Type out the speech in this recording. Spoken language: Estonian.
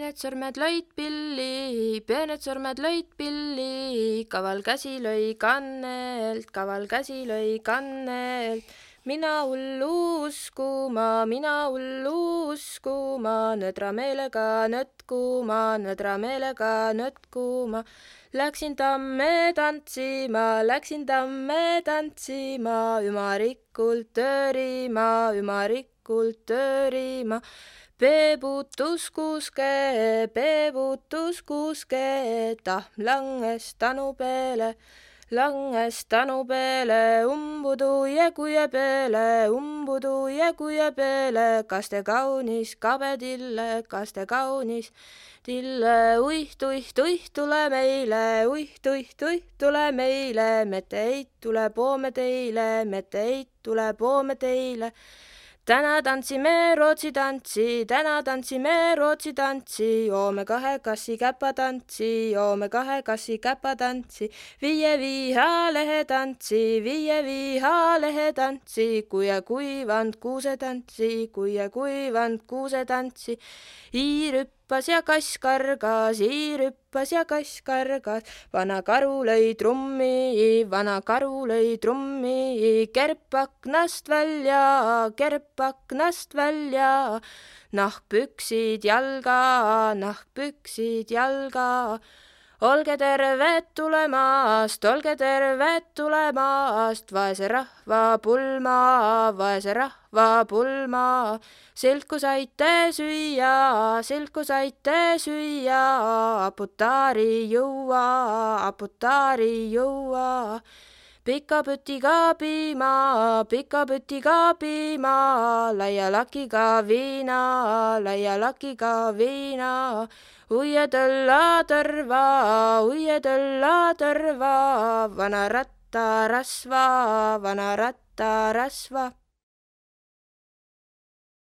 peened sõrmed lõid pilli, kaval käsi lõi kannelt. Mina hullu uskuma, nõdra meelega nõtkuma. Läksin tamme tantsima, ümarikult töörima. Peebutus kuuske, tahm langes tanu peale, umbudu jäguja peale, kas te kaunis kabedille, uih, tule meile, mette eit tule poome teile. Täna tantsime Rootsi tantsi, joome kahe kassi käpatantsi, viie viha lehe tantsi, kuie kuivand kuusetantsi, iirüppas ja kass kargas, vana karu lõi trummi, kerp aknast välja, nahkpüksid jalga. Olge terved tulemast, vaese rahva pulma. Silku saite süüa, aputaari juua. Pika pütiga piima, laia lakiga viina. Uie tõlla tõrva, vana rattarasva.